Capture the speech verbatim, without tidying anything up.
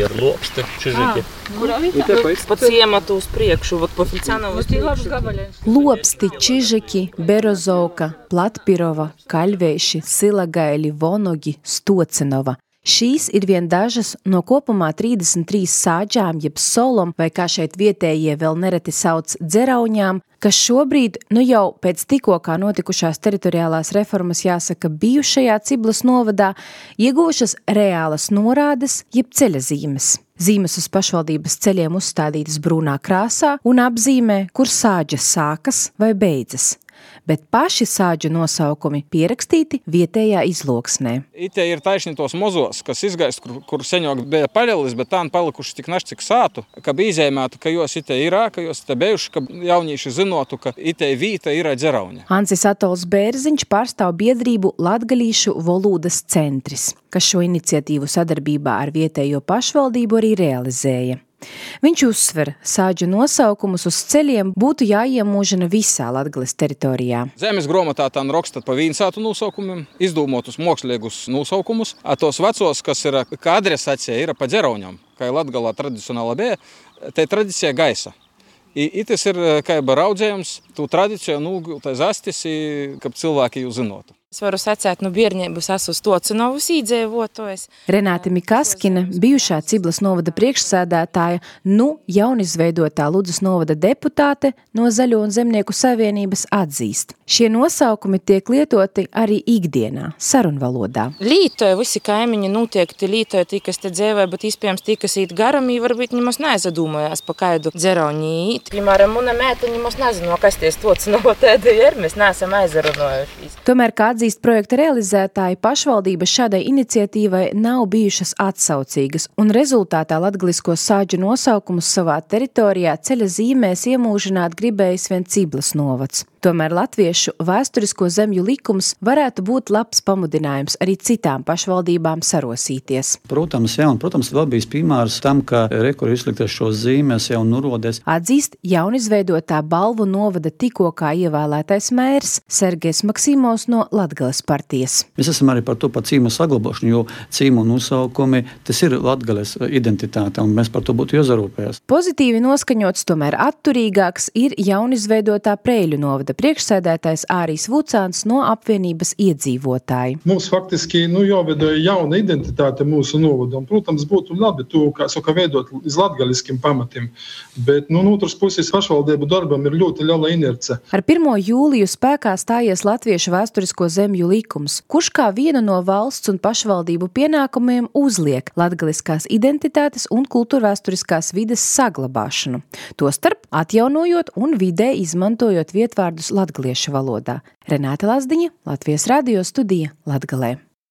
ir Lopsti, Čižiki. Pa ciematu uz priekšu, вот по Фельдсанову uz priekšu. Lopsti, Čižiki, Berozovka, Platpirova, Kaļveiši, Silagaili, Vonogi, Stocenova. Šīs ir vien dažas no kopumā trīsdesmit trīs sāģām, jeb solom, vai kā šeit vietējie vēl nereti sauc dzerauņām, kas šobrīd, nu jau pēc tikko kā notikušās teritoriālās reformas, jāsaka, bijušajā Ciblas novadā, iegūšas reālas norādes, jeb ceļazīmes. Zīmes uz pašvaldības ceļiem uzstādītas brūnā krāsā un apzīmē, kur sāģas sākas vai beidzas. Bet paši sāģu nosaukumi pierakstīti vietējā izloksnē. Ite ir taisni tos mozos, kas izgaist, kur, kur seņok bija paļelis, bet tā palikuši tik naši, cik sātu, ka bija izēmētu, ka jos ite ir, ka jos ite bejuši, ka jaunīši zinotu, ka ite vīta ir dzerauņa. Hansis Atols Bērziņš pārstāv biedrību Latgalīšu volūdas centris, kas šo iniciatīvu sadarbībā ar vietējo pašvaldību arī realizēja. Viņš uzsver, sāģu nosaukumus uz ceļiem būtu jāiemūžina visā Latgales teritorijā. Zemes gromatā tā rakstat pa vīnsātu nosaukumiem, izdūmotus mokslīgus nosaukumus, a tos vecos, kas ir kā adresācija, ir pa dzerauņam, kā Latgalā tradicionāla bija, tai tradicija gaisa. I, itis ir kā raudzējums, tu tradiciju nūgultai zastis, kad cilvēki jau zinotu. Es varu sacēt, nu bierņēbus esmu Stocenovus īdzēvotojs. Renāte Mikaskina, bijušā Ciblas novada priekšsēdētāja, nu jaunizveidotā Ludzas novada deputāte no Zaļo un Zemnieku savienības atzīst. Šie nosaukumi tiek lietoti arī ikdienā, sarunvalodā. Lītoja visi kaimiņi notiekti, lītoja tī, kas te dzēvē, bet iespējams tī, kas īt garam, varbūt ņemos neizadūmojās pa kaidu dzerauni īt. Piemēram, muna mēta ņemos nezinu, kas tie Stocenovo tēdi ir, mēs neesam aizarunojušies. Tomēr, kā atzīst projekta realizētāji, pašvaldības šādai iniciatīvai nav bijušas atsaucīgas, un rezultātā latgalisko sāģu nosaukumus savā teritorijā ceļa zīmēs iemūžināt gribējis vien Ciblas novads. Tomēr latviešu vēsturisko zemju likums varētu būt labs pamudinājums arī citām pašvaldībām sarosīties. Protams, jā, un, protams, vēl bijis piemērs tam, ka rekur izliktas šos zīmes jau nurodēs. Atzīst jaunizveidotā Balvu novada tikko kā ievēlētais mērs Sergejs Maksimovs no Latgales partijas. Mēs esam arī par to par cīmu saglabošanu, jo cīmu nosaukumi, tas ir Latgales identitāte, un mēs par to būtu jāzarūpējas. Pozitīvi noskaņots, tomēr atturīgāks ir jaunizveidotā Preļu novada priekšsēdētājs Ārijs Vucāns no apvienības iedzīvotāji. Mums faktiski nu, jāveidoja jauna identitāte mūsu novadam. Protams, būtu labi to, kā saka, veidot iz latgaliskiem pamatiem, bet nu, no otras puses pašvaldību darbam ir ļoti liela inerce. Ar pirmo jūliju spēkā stājies Latviešu vēsturisko zemju likums, kurš kā vienu no valsts un pašvaldību pienākumiem uzliek latgaliskās identitātes un kultūrvēsturiskās vides saglabāšanu. Tostarp atjaunojot un vidē izmantojot vietvārdus latgaliešu valodā. Renāte Lazdiņa, Latvijas radio studija Latgalē.